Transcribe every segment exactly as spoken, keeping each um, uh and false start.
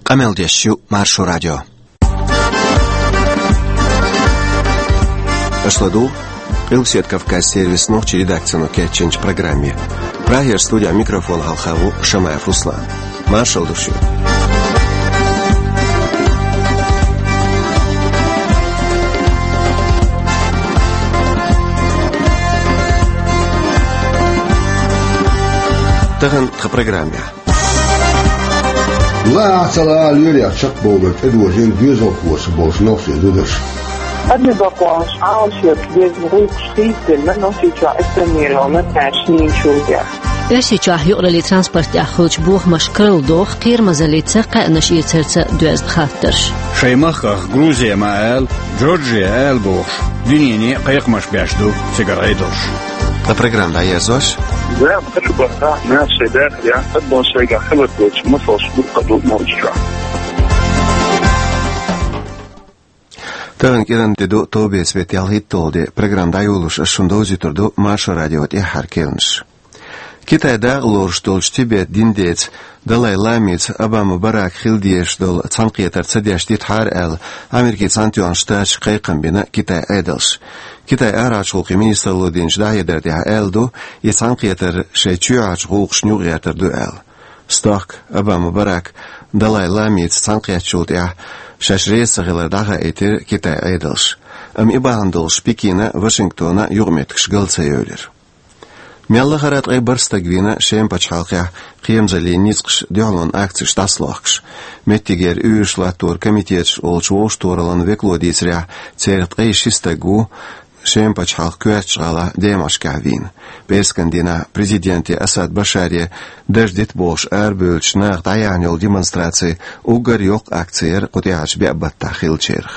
Къамел деш ю Маршо радио. Аша ладугӀу Къилбаседа Кавказан сервисан нохчийн редакцино кечйинчу программе. Прагера студехь микрофон хьалха ву Шамаев Руслан. Маршалла ду шуьга. Тахана тхан программехь. Лахахь ца лаха лоьрийн чекхбовлар тӀедожийна доьзалхоша болчу нохчийн зударша. Адамийн бакъонаш Ӏалашъеш деза гӀуллакхаш хийцаделла Нохчийчохь эпидемия йолу тӀаьхьа шийначул тӀаьхьа. Оьрсийчохь юкъараллин транспорт тӀехь хуьлучу бохамашка карладоху кхерамазаллица кхаьънаш эцарца доьзна хаттарш. Шайн махках Грузия ма ала, Джорджия ала бохуш, дуьнене кхайкхамаш беш ду цигара Ӏедалш. Ткъа программа дӀаерзош. Ваьлла хилла бахьана, нах шайн дахарехь, адамо шайгахь хилар доцуш, масалш дуккха а ду Нохчийчохь. Тахана кӀиран де ду, товбеца беттан ялхитталгӀа де. Программа дӀайолош ас шуна довзуьйтур ду Маршо радион тӀаьххьара керланаш. Китайн дакъа лоруш долчу Тибет дин деца Далай-ламица Обама Барака хила дезаш долу цхьаьнакхетар ца деш дитахьара аьлла, Америкин Цхьаьнатоьхна Штаташка кхайкхам бина Китайн Ӏедалша. Китайн арахьарчу гӀуллакхийн министралло динчу дӀахьедар тӀехь аьлла ду, и цхьаьнакхетар шайн чоьхьарчу гӀуллакхашна юкъагӀертар ду аьлла. Стохка Обама Барака Далай-ламица цхьаьнакхеттачул тӀаьхьа шаьш реза ца хилар дӀахаийтира Китайн Ӏедалша. Амма и бахьана долуш Пекина, Вашингтона юкъаметтигаш гал ца евлира. Мел лахара ткъе бархӀ стаг вийна Шеман пачхьалкхехь кхерамазаллин ницкъаш дуьхьалонан акцеш дӀасалохкуш. Меттигера уьйраш латторан комитеташ олучу вовшахтохараллин векало дийцарехь, церах ткъе ши стаг ву Шеман пачхьалкхан коьртачу гӀалахь Демашкехь вийна. ПӀераскан дийнахь президенте Асад Башаре дарж дита бохуш арабевллачу наха дӀаяьхьна йолу демонстраци уггар йоккха акци яра кху тӀаьхьарчу беа баттахь хиллачарах.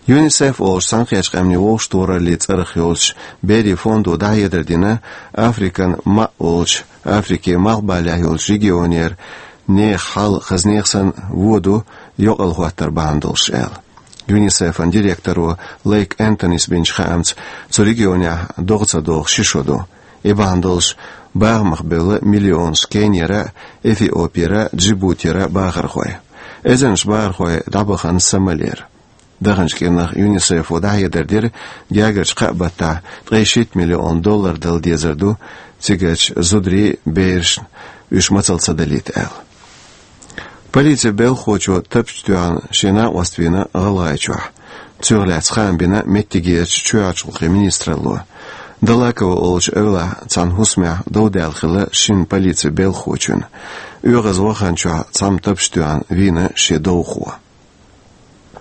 ЮНИСЕФ олучу Цхьаьнакхеттачу Къаьмнийн вовшахтохараллин цӀарах йолчу берийн фондо дӀахьедар дина Африкан маӀ олучу, Африкин малхбалехь йолчу регионера нехан хьал хаза нехан санна вон ду йокъал хӀоттар бахьана долуш аьлла. ЮНИСЕФ-ан директоро Лейк Энтонис бинчу хаамца, цу регионехь догӀа ца догӀу ши шо ду. И бахьана долуш бахамах бевлла миллионаш Кенияра, Эфиопияра, Джибутира бахархой. Эзарнаш бахархой дӀабахана Сомалера. Даханчу кӀирнах ЮНИСЕФ-о дӀахьедар дира, гергарчу кхаа баттахь ткъе шийтта миллион доллар дала дезар ду цигарчу зударийн, берашна, уьш мацалла ца далийта аьлла. Полицин белхахочо тапча тоьхна шен накъост вийна ГӀалгӀайчохь. Цунах лаьцна хаам бина меттигерчу чоьхьарчу гӀуллакхийн министралло. Далакова олучу эвлахь цхьана хӀусамехь дов даьлла хилла шина полицин белхахочунна. ОьгӀаз ваханчохь цхьамма тапча тоьхна вийна шен довхо.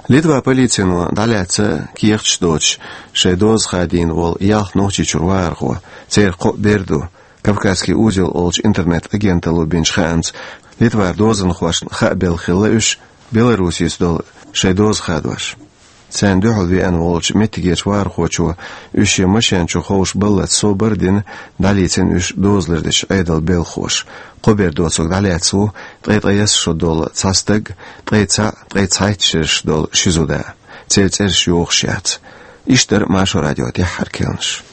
Литван полицино дӀалаьцна кехаташ доцуш шайн доза хадийна волу ялх Нохчийчуьра вахархо, церан кхоъ бер ду. «Кавказский узел» олучу интернет-агенталло бинчу хаамца, Литвара дозанхошна хаа белла хилла уьш Беларусица долу шайн доза хадош. Царна дуьхьал веана волчу меттигерчу вахархочо уьш шен машен чу ховшабаллалц собар а дина, дӀалийцина уьш дозалур дечу Ӏедалан белхахоша. Кхо бер доцург дӀалаьцна ву ткъе ткъайесна шо долу цхьа стаг, ткъе цхьаъ, ткъе цхьайтта шераш долу ши зуда. Церан цӀераш йохуш яц. Иштта дара Маршо радион тӀаьххьара керланаш.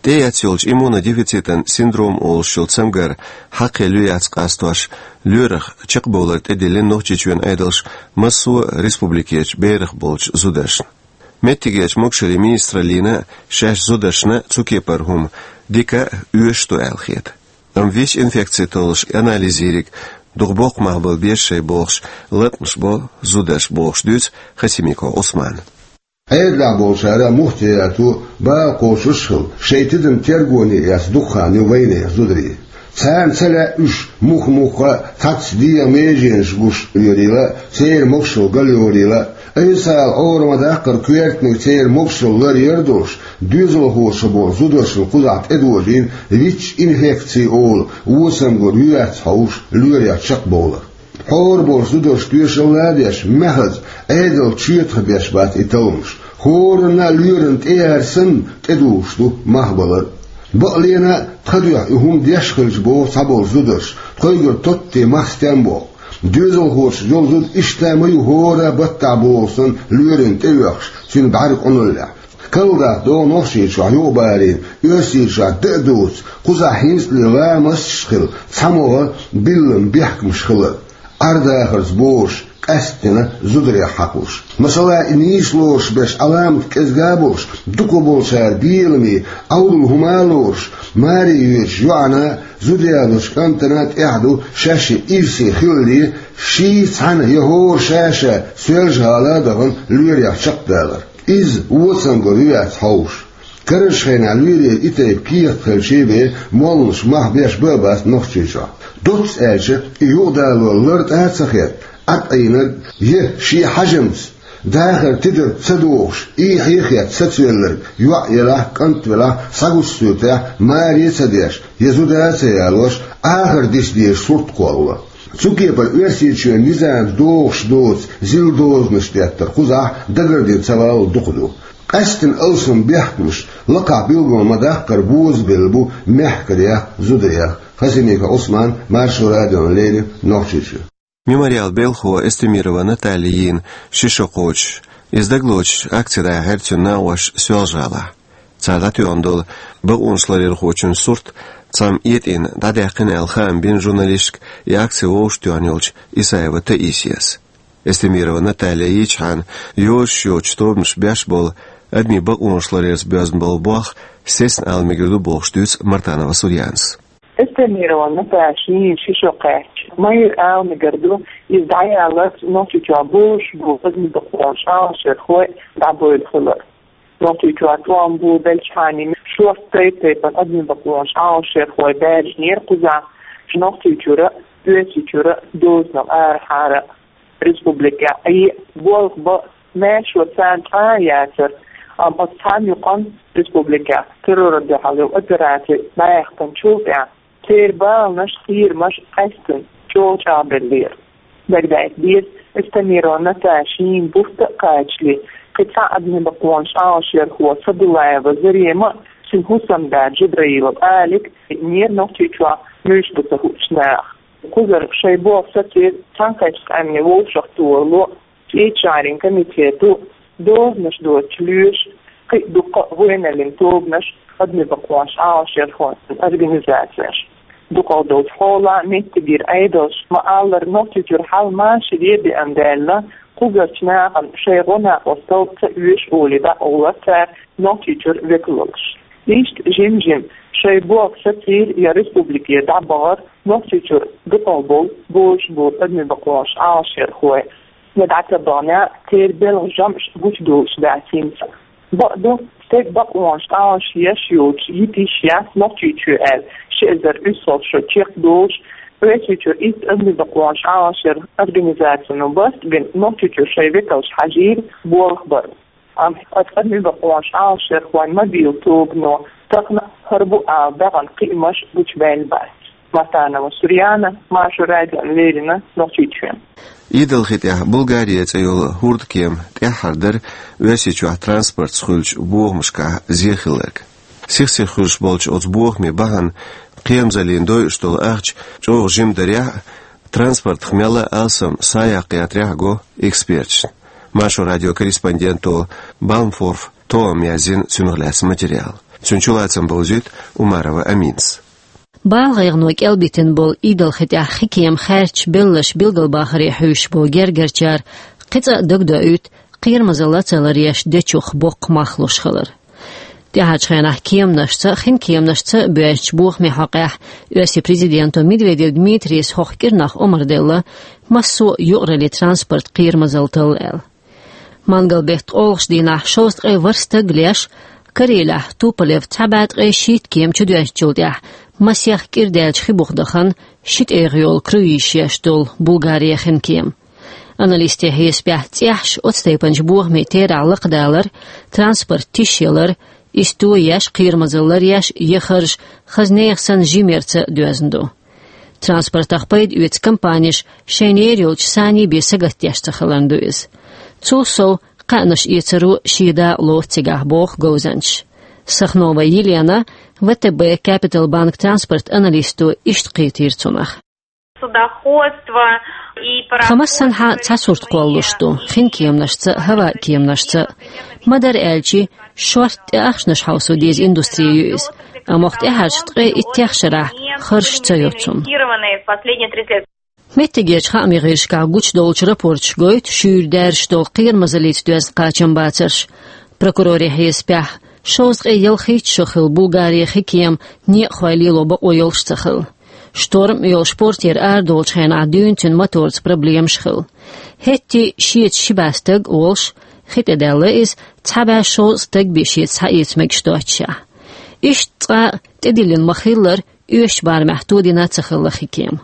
ТӀеэцна йолчу иммунодефицитан синдром олуш йолу цамгар хьакхе луьйш яц къастош, лоьрах чекхбовлар тӀедиллина Нохчийчоьнан Ӏедалша массо а республикерчу берах болчу зударшна. Меттигерчу могушаллин министраллина шаьш зударшна цу кепара хӀума дика а, оьшуш а ду аьлла хета. Амма ВИЧ-инфекци толлуш анализ йийриг дукха боккха мах бала беза шайн бохуш, латкъамаш бо зударша бохуш дуьйцу Хасимиков Ӏусмана. Ӏедалехь болчара мухӀар яьлла, бала кхочуш а хилла, шайн тидам тергоне эцна дукха хан ю вайнехан зударий. Царна ца лаьа уьш муха-муха цхьацца дегӀан меженаш гуш лоьрийла, церан могушалла галйорийла. Айса ала Ӏора ма-даккхара коьртаниг церан могушалла ларъяр долуш, доьзалхоша болу зударшна кхузахь тӀедожийна ВИЧ-инфекци олу осамгар ю-яц хьовсуш лоьрах чекхбовлар. Хьора болчу зударша тоьшалла а деш, маьхаза Ӏедал чоьтах беш бац и талламаш. ХӀоранна а лоьрана тӀе а санна, тӀедугӀуш ду мах балар. Бакъ лена а, тха дуьхьа и хӀума деш хилча боху цхьаболчу зударша, Кхойгур тоттий мах стенна боккху. Доьзалхочун йолу зуда иштта ма ю хӀора баттахь боху санна лоьрина тӀеоьхуш, цуьнан бӀаьрг къуналлехь. Карладаккха догӀу Нохчийчохь юкъабарийна, Оьрсийчохь дан а дуьйцу, кхузахь хӀинцале ламасташ а хилла, цхьамогӀа биллина бехкамаш хилар. Ӏар-дахарца бозуш, къаьсттина зударех хьакхуш. Масала, и нийса лоруш берш Ӏаламат кӀезга а болуш, дукхахболчара беламе, Ӏовдал хӀума а лоруш, маре йоьдуш йоӀана, зуда ялочу кӀантана тӀехь ду шаьш ирсе хилале, ший цхьаьна я хӀора ша-ша Соьлжа-ГӀала а дахана лоьрех чекхдалар. Иза вон цамгарх ю яц хьовсуш. Карарчу хенахь лоьрийн и тайпа кехат хилча бен, молланаш мах беш бан а бац Нохчийчохь. Доцца аьлча, и юкъадалор лартӀа а ца хетта, Ӏад Ӏийнарг я шен хьежамца, дахар тидарца ца дохуш, эхье а хетта сацавелларг, йоӀ елахь, кӀант велахь, схьагучу суьртехь маре а ца деш, я зуда а ца ялош, Ӏахар диса дезаш сурт кхоллало. Цу кепара Оьрсийчоьнан низамца догӀуш доцу зил дозанаш деттар кхузахь дагардина ца валлал дукха ду. Къаьсттина алсам бехкамаш лакхахь билгал ма-даккхара бозабелла бу мехкарех, зударех. Хасимиков Ӏусман, Маршо радиона леррина, Нохчийчоь. Мемориал белхахо Эстемирова Наталья йийна ши шо кхочуш. Иза дагалоцуш акци дӀаяьхьира цуьнан накъосташа Соьлжа-ГӀалахь. Цара дӀатоьхна долу бакъонашларъярхочун сурт цхьамма этӀийна дӀадаьккхина аьлла хаам бина журналисташка и акци вовшахтоьхна йолчу Исаева Таисияс. Эстемирова Наталья йийчхьана, йозуш йоцучу тобанаша беш болу адамийн бакъонашларъярца боьзна болу болх сецна ала мегар ду бохуш дуьйцу Мартанова Сурьянас. Эстемирова Натальяс ши шо кхаьчча, ма-ярра ала мегар ду, иза дӀаяларца Нохчийчохь бозуш болу адамийн бакъонаш Ӏалашъярхой дӀабевлла хилар. Нохчийчохь тӀом бу беллачхьана шорта тайп-тайпана адамийн бакъонаш Ӏалашъярхой баьржинера кхузахь, Нохчийчуьра а, Оьрсийчуьра а дозанал арахьара а. Республикехь а, и болх бан маьрша царна цкъа а яцара, амма оцу цхьана юкъанна республикехь террорна дуьхьал йолу операци дӀаяьккхинчул тӀаьхьа церан баланаш, кхерамаш къаьсттина чӀогӀа чӀагӀбеллера. Дагадайта деза, Эстемирова Натальяс шина бутт а кхачале, кхин цхьа адамийн бакъонаш Ӏалашъярхо Садулаева Зарема а, цуьнан хӀусамда Джабраилов Алик а веанера Нохчийчохь муьлш бу ца хуучу наха. Кхузара шайн болх сацийра Цхьаьнакхеттачу къаьмнийн вовшахтохаралло, Иччарин комитето, дозанаш доцучу лоьша, кхин а дуккха а вайналлин тобанаш, адамийн бакъонаш Ӏалашъярхойн организацеш. Дукхах долчу хьолахь меттигера Ӏедалша, ма-аллара, Нохчийчуьра хьал машаре а беана даьлла, кхузарчу нахана шайн гӀо-накъосталла ца оьшу олий дӀакъовлар цара Нохчийчуьра векалш. Иштта жим-жима шайн болх сацийра я республикера дӀабахара Нохчийчуьра дукхах болу бозуш болу адамийн бакъонаш Ӏалашъярхой. Я дӀа ца бахана, церан белхан жамӀаш гучудолуш дац хӀинца. Бакъду, стеган бакъонаш Ӏалашъеш йолчу йитиш яц Нохчийчоь аьлла, ши эзар уьссалгӀа шо чекхдолуш, Оьрсийчуьра итт адамийн бакъонаш Ӏалашъяран организацино барт а бина, Нохчийчуьра шайн векалш хьажийра болх бар. Амма оцу адамийн бакъонаш Ӏалашъярхойн мобилан тобано тахана хӀара бу ала баьхна кхиамаш гучубаьлла бац. Мартанова Сурьяна, Маршо радиона леррина, Нохчийчоь. Идалхи тӀехь Булгария цӀе йолу хӀордкема тӀаьххьара дара Оьрсийчохь транспортца хуьлучу бохамашкахь зен хилларг. Сих-сиха хуьлуш болчу оцу бохамийн бахьана кхерамзаллина дойуш долу ахча чӀогӀа жима дарехь а, транспортах мелла а алсам схьаяккха ятрехь а го эксперташна. Маршо радион корреспонденто Балмфорф Тоам яздина цунах лаьцна материал. Цуьнан чулацам бовзуьйту Умарова Аминас. Бала гӀайгӀано кӀелбитина болу идалхи тӀехь хи кема хаьрча белларш билгалбахаре хьуьйсуш болу гергарчара кхин цкъа а дагадоуьйту кхерамазалла ца ларъеш дечух боккха мах луш хилар. ТӀаьхьарчу хенахь кеманашца а, хин кеманашца а боьзначу бохамийн хьокъехь Оьрсийн президенто Медведев Дмитрийс хӀокху кӀирнах омра делла, массо а юкъараллин транспорт кхерамазалла талла аьлла. Мангал беттан олхачу дийнахь шовзткъе ворхӀ стаг леш, Карелехь Туполев цхьа бӀе ткъе шийтта кема чудоьзначул тӀаьхьа масех кӀира даьллачу хи буха дахана ши тӀегӀа йолу круиз еш долу Булгарин хин кема. Аналистийн хьесапехь, цӀеххьаш оцу тайпанчу бохамийн терахь лакхадалар, транспорт тишъялар, иза тоеш, кхерамазалла ларъеш я харжа хаза нехан санна жимма ярца доьзна ду. Транспортах пайда оьцу компанеш шайна ер йолчу саний бен сагатдеш ца хиларна ду иза. Цул сов, кхаьънаш эцаро шен дакъа лоцу цигахь, боху говзанчаша. Сахнова Елена, В Т Б Capital Bank транспорт аналисто, иштта кхетийра цунах. Судоходство и... Тхан массанхьа цхьа сурт кхоллалуш ду, хин кеманашца, хӀаваан кеманашца. Ма-дарра аьлча, шортта тӀе ахчанаш хьовсо деза индустрия ю иза. Амма оха тӀаьхьарча ткъе иттех шарахь харжаш ца йоцун. Инвестированные в последние тридцать лет. Меттигерча хаамийн гӀирсашкахь гучадолчу рапорташа гойту шуьйра даьржаш долу кхерамазаллица доьзна кхачамбацарш. Прокурорийн хьесапехь, шовзткъе ялхитта шо хилла Булгарин хин кема некъахой лело бакъо йолуш ца хилла. Шторм а йолуш портера арадолучу хенахь дуьйна цуьнан моторца проблемаш хилла. ХӀетте а шеца ши бӀе стаг а волуш, хи тӀедаьлла иза, цхьа бӀе шовзткъа стаг бен шеца схьаэца мегаш доццушехь. Иштта цкъа а тӀедиллина ма-хиллара, оьшучу барамехь тодина а ца хилла хин кема.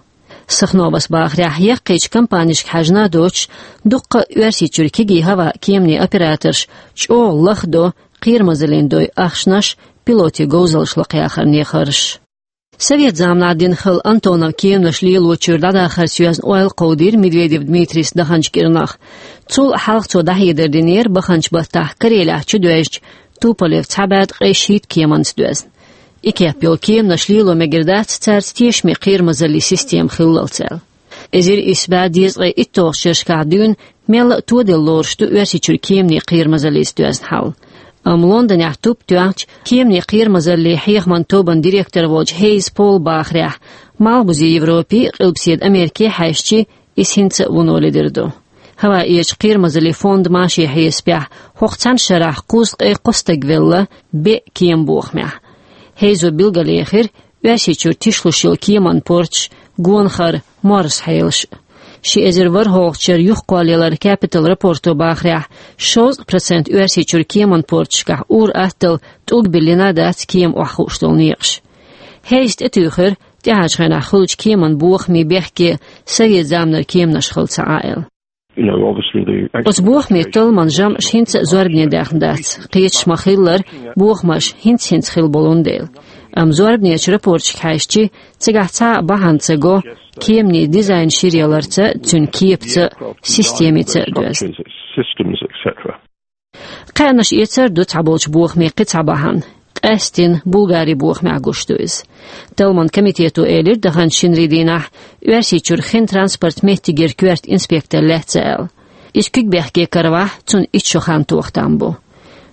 Сахновас бахарехь, яккхийчу компанешка хьаьжна а доцуш, дуккха а Оьрсийчуьра кегий хӀаваан кеманийн операторш чӀогӀа лахдо кхерамазаллина дойу ахчанаш, пилотийн говзаллаш лакхаяхарна харжаш. Совет заманахь дина хилла Антонов кеманаш лелочуьра дӀадахарца йоьзна ойла кховдийра Медведев Дмитрийс даханчу кӀирнах. Цул хьалха цо дӀахьедар динера баханчу баттахь Карелехь чудоьжначу Туполев цхьа бӀе ткъе шийтта кеманца доьзна. И кеп йолу кеманаш лело мегар дац, цаьрца тешаме кхерамазаллин система хиллалц аьлла. Эзар исс бӀе дезткъе итталгӀачу шерашкахь дуьйна мелла а тоделла лоруш ду Оьрсийчуьра кеманийн кхерамазаллица доьзна хьал. Амма Лондонехь туп тоьхначу кеманийн кхерамазаллин хьехаман тобан директор волчу Хейз Пола бахарехь, Малхбузе Европе а, Къилбаседа Америке а хьаьжча, иза хӀинца а вуно ледара ду. ХӀаваан-Ӏедалчу кхерамазаллин фондан машин хьесапехь, хӀокху цхьана шарахь кхузткъе кхо стаг велла беа кеман бохамехь. Хейзо билгалъяьхира Оьрсийчуьра тишлуш йолу кеманан порташ, гонахара морза хьелаш. Ши эзар ворхӀалгӀачу шеран юхакхоллаяларан Capital рапорто бахарехь, шовзткъа процент Оьрсийчуьра кеманан порташкахь ур-атталла тӀулг биллина а дац кема охьахууш долу некъаш. Хейза тӀетуьйхира тӀаьхьарчу хенахь хуьлучу кеманан бохамийн бехке совет заманара кеманаш хилла ца Ӏа аьлла. You know, obviously the... Оцу бохамийн талламан жамӀаш хӀинца а зорбане даьхна дац. Кхеташ ма-хиллара, бохамаш хӀинц-хӀинца хилла болун дела. Амма зорбанечу рапорташка хьаьжча, цигахь цхьа а бахьана ца го кеманийн дизайн шира яларца, цуьнан кепаца, системица а доьзна. Systems, et cetera. Кхаьънаш эцар а ду цхьаболчу бохамийн кхин цхьа бахьана. Къаьсттина Булгарин бохамехь гуш ду иза. Талламан комитето элира даханчу шинарин дийнахь, Оьрсийчуьра хин транспорт меттигера коьрта инспектор лаьцна аьлла. Иза куьг бехке каравахь, цунна итт шо хан тоха там бу.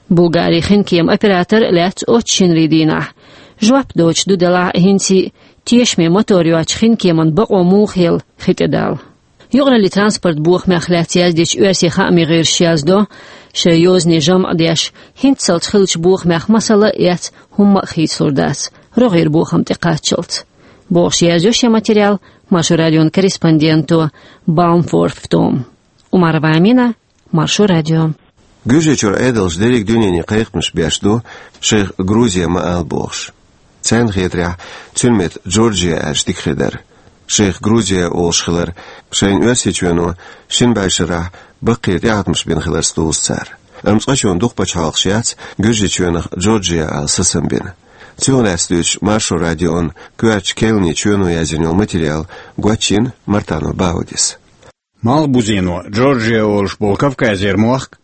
Булгарин хин кеман оператор а лаьцна оццу шинарин дийнахь. Жоп доцуш ду делахь а хӀинца а, тешаме мотор йоцучу хин кеман бакъо муха елла хи тӀедала. Юкъараллин транспорт бохамех лаьцна яздечу оьрсийн хаамийн гӀирсаша яздо, шайн йозанийн жамӀ а деш, хӀинццалц хиллачу бохамех масала а эцна, хӀумма а хийцалур дац, рогӀера бохам тӀекхаччалц, бохуш, язйо шен материал Маршо радион корреспонденто Баумфорф Тома. Умарова Амина, Маршо радио. Гуьржийчуьра Ӏедалша дерриг дуьнене кхайкхамаш беш ду шайх Грузе ма ала бохуш. Царна хетарехь, цуьнан меттан Джорджия аьлча дика хир дара. Шайх Грузе олуш хилар шайна Оьрсийчоьно шина бӀешарахь баккхий тӀеӀаткъамаш бина хиларца дузу цара. Амма цкъачунна дукха пачхьалкхаш яц Гуьржийчоьнах Джорджия ала сацам бина. Цунах лаьцна дуьйцуш Маршо радион коьртачу Кельни чоьно язйина йолу материал гочйина Мартано Баудис. Малхбузено Джорджия олуш болу Кавказера мохк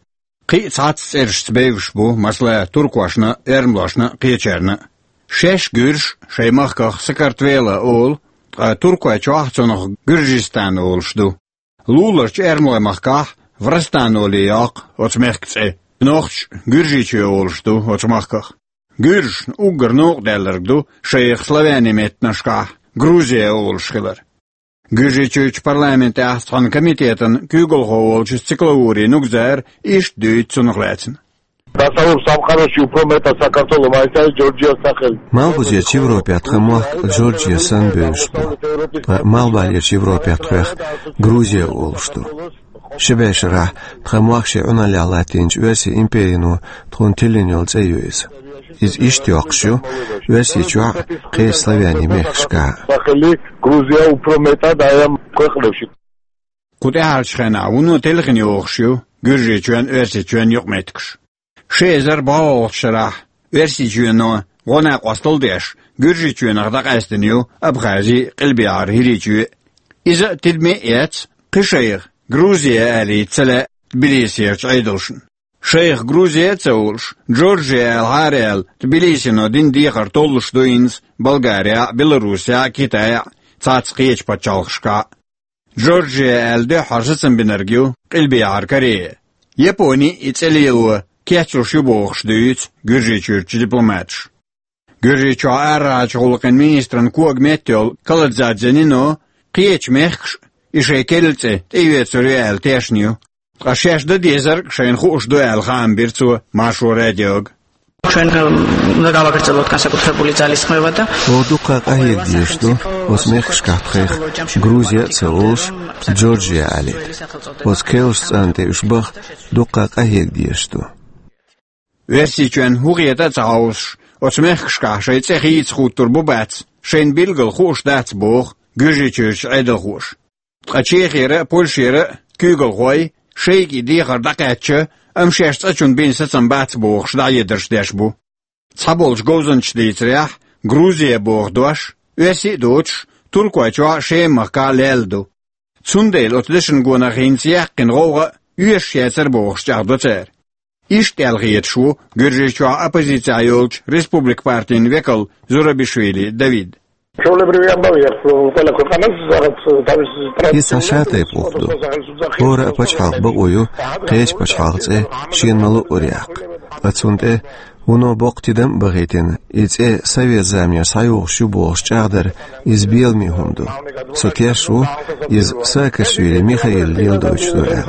кхин а цхьацца цӀерашца бевзаш бу, масала, туркошна а, эрмалошна а, кхечарна а. Шаьш гуьржаш шайн махках Сакартвела олу, ткъа туркойчохь цунах Гуьржистан олуш ду. Луларчу эрмалойн махкахь Врастан олий йоккху оцу мехкан цӀе. Нохчаша Гуьржийчоь олуш ду оцу махках. Гуьржашна уггар новкъа даьлларг ду шайх славянийн меттанашкахь Грузия олуш хилар. Гуьржийчуьрчу парламентехь цхьана комитетан куьйгалхо волчу Циклаури Нугзара иштта дуьйцу цунах лаьцна. დასავლურ სამყაროში უფრო მეტად საქართველო მაინც არის ჯორჯიას სახელი. Малхбузерчу Европехь тхан мохк Джорджия санна бевзаш бу. Ткъа Малхбалерчу Европехь тхох Грузия олуш ду. Ши бӀешарахь тхан мохк шен Ӏуналлехь латтийначу Оьрсийн империно тхуна тиллина йолу цӀе ю иза. Иза иштта йоккхуш ю Оьрсийчохь а, кхечу славянийн мехкашкахь а. სახელი გრუზია უფრო მეტად აი ამ ქვეყნებში. Кху тӀаьхьарчу хенахь вуно телхина йохуш ю Гуьржийчоьнан, Оьрсийчоьнан юкъаметтигаш. Ши эзар бӀолгӀачу шарахь Оьрсийчоьно гӀо-накъосталла деш, Гуьржийчоьнах дӀакъаьстина ю Абхази а, Къилбехьара ХӀирийчоь а. Иза а тидаме а эцна, кхин шайх Грузия алийта ца лаьа Тбилисерчу Ӏедалшна. Шайх Грузия а ца олуш, Джорджия аьлла хьаараяьлла, Тбилисино дина дехар толлуш ду хӀинца Болгарехь а, Беларусехь а, Китайхь а. цхьацца кхечу пачхьалкхашкахь а. Джорджия аьлла дуьххьара сацам бинарг ю Къилбехьара Корея. Япони и цӀе лело кечлуш ю бохуш дуьйцу Гуьржийчуьрчу дипломаташа. Гуьржийчохь арахьарчу гӀуллакхийн министран кога меттайолу Каладзадзе Нино кхечу мехкаша и шайн керла цӀе тӀеоьцур ю аьлла тешна ю. Ткъа шаьш дан дезарг шайна хууш ду аьлла хаам бира цо Маршо радиога. ჩვენ, ნუ დავაგრძელოთ განსაკუთრებული ძალისხმევა და Оха дуккха къахьега дезаш ду оцу мехкашкахь тхайх Грузия а ца олуш, Джорджия олура. Оцу керлачу цӀарна тӀе уьш баха дуккха къахьега дезаш ду. Оьрсийчоьнна хӀун хета а ца хьовсуш, оцу мехкашкахь шайн цӀе хийца хӀуттур бу-бац, шайна билггал хууш дац боху Гуьржийчуьрчу Ӏедалхоша. Ткъа Чехера а, Польшера а куьйгалхой шайга и дехар дӀакхаьчча, амма шаьш цӀа чунна бина сацам бац бохуш дӀахьедарш деш бу. Цхьаболчу говзанчаша дийцарехь, Грузия боху дош, оьрсийн а доцуш, Туркойчохь а, Шеман махкахь а лаьлла ду. Цундела оцу дешан гонах хӀинца яьккхина гӀовгӀа а оьшуш яцара бохуш чӀагӀдо цара. Иштта аьлла хеташ ву Гуьржийчохь оппозицехь йолчу Республика партин векал Зурабишвили Давид. Иза цхьа шатайпа гӀуллакх ду. ХӀора а пачхьалкх бакъо ю кхечу пачхьалкхан цӀе шена ма-луъара яккха. Ткъа цунна тӀе вуно боккха тидам а бахийтина, и цӀе совет заманера схьайогӀуш ю бохуш чӀагӀдар, иза беламе хӀума ду. Со тешна ву, иза Саакашвили Михаила леладойтуш ду аьлла.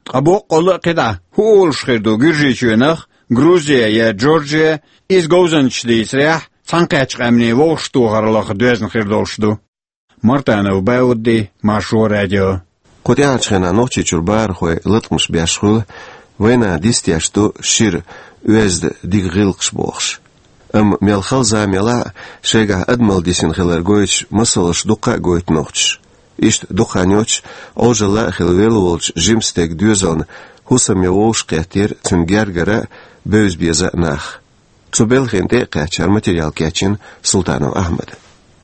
Ткъа боккъалла а кхидӀа хӀун олуш хир ду Гуьржийчоьнах, Грузия я Джорджия, иза говзанчаша дийцарехь, цхьаьнакхеттачу къаьмнийн вовшахтохараллах доьзна хир долуш ду. Мартанов Баудди, Маршо радио. Кху тӀаьхьарчу хенахь Нохчийчуьра бахархой латкъамаш беш хуьлу, вайна дистеш ду шира оьзда дика гӀиллакхаш бохуш. Амма мел хала зама елахь а, шайгахь адамалла дисина хилар гойтуш масалш дуккха а гойту нохчаша. Иштта дукха хан йоццуш, Ӏожалла а хилла велла волчу жима стеган доьзална хӀусам ян вовшахкхеттера цуьнан гергара а, бевза-беза а нах. Цу белхина тӀе а кхаьчнера материал кечйина Султанов Ахьмада.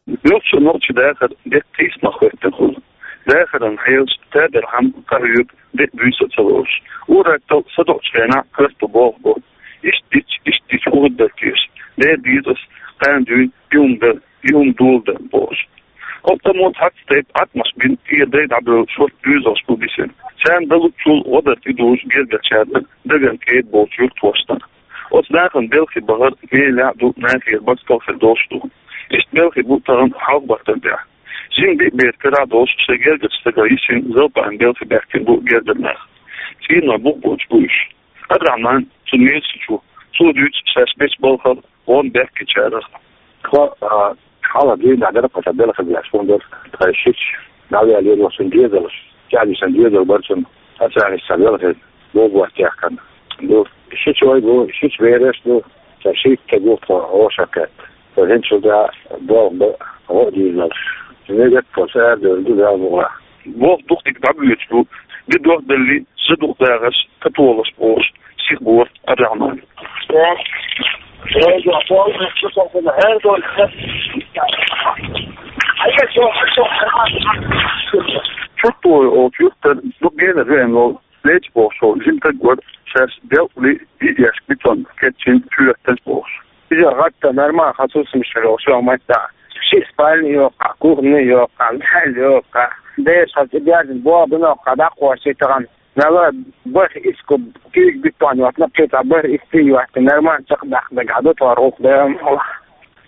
Муьлххачу нохчийн дахар деккъа тийсамах хӀоьттина хуьлу. Дахаран хьелаш, тадара хӀума къахьоьгу, де а буьйса а ца лоруш. Ур-атталла садоӀучу хенахь коьрта болх бо. Иштта дича, иштта дича хӀун хир дара теша? Дера деза ас, кхана дуьйна и хӀума дара, и хӀума доладара бохуш. Оцу тӀамо цхьацца тайпа Ӏаткъамаш бина, тӀера дай дӀабевлла шорта доьзалш бу бисина. Царна далучул гӀо дар тӀедужу гергарчарна дагна кӀеда болчу юьртахошна. Оцу нахана белхи бахар мелехь а ду, нахера баккхалхир долуш ду. Иштта белхи бу тахана хьалха баттана тӀехь. Жима биъ бер карахь долуш шайн гергарчу стага йисина залпаан белхи баьхкина бу гергара нах. ЦӀийнан бух боцуш бу уьш. Абдрахьман, цуьнан мелсачо, цо дуьйцу шаьш бечу балхах гӀо баьхкинчарах. Тхо, а, хьалха дийнахь дара кхо сан белхи беш, хӀунда аьлча тхайн шича дӀавелла йолу цуьнан доьзалш, чӀагӀдисина доьзал бара цуьнан, аса аьлча сан белхи богӀу баттехкана ду. Шичой бу, шича бераш ду, сан шийтта стаг ву тхо гӀошан кхетта. Со хӀинцул тӀаьхьа болх бан гӀо а дийзалаш. Мегат тхо аса арадевлла ду Дала мукъалахь. Болх дукха дика дӀабоьдуш ду, де дохделли, за дукха дагӀаш, католаш бохуш, сиха бора Абдрахьман. Чуртовой олучу юьртара дукха генара веана волу Леча бохуш волу жима стаг вара, шаьш делкъале йиъеш бетон кечйина чоьттан бохуш. Иза гӀатта нормально хьан сусамаш хир йолуш йолу маттахь. Ши спальня йоккхахь, кухня йоккхахь, маьлла йоккхахь. Бераш хьан цӀе бязина боху биноккхахь дӀакхочий тахана. Мела бархӀ исс куб куьйга бетон йоттана, кхин цхьа бархӀ исс цӀий йоттана, нормально чекхдаккха дагахь ду тхо гӀуллакх Дала мукъалахь.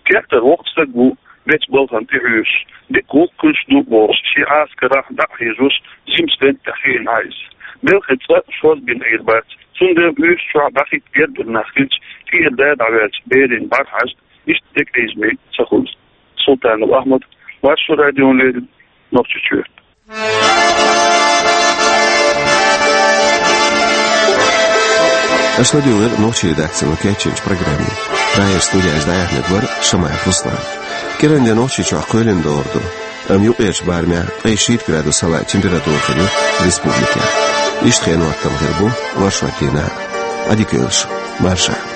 Кертара воккха стаг ву, бечу балхана тӀехьоьжуш, дика гӀуллакх хуьлуш ду бохуш, шен Ӏаскарахь дӀа а хьежош, жима стенна тӀехь хиъна Ӏайса. Белхи цкъа шозбина Ӏийр бац, цундела уьш чохь дӀахӀитта гергара нах хилча, тӀера да дӀаваьлча, берийн бӀарахьажа, иштта декъийзаме ца хуьлу. Султанов Ахьмад, Маршо радиона леррина, Нохчийчоь. Аша ладуьйгӀира нохчийн редакцино кечйинчу программе. Прагера студехь иза дӀаяьхьнарг вара Шамаев Руслан. КӀиранде Нохчийчохь кхоьлина догӀур ду, амма юккъерчу барамехь ткъе шийтта градус хьалаайча температура хир ю республикехь. Иштта хенан хӀоттам хир бу оршот дийнахь а. Ӏадика йойла шу, марша.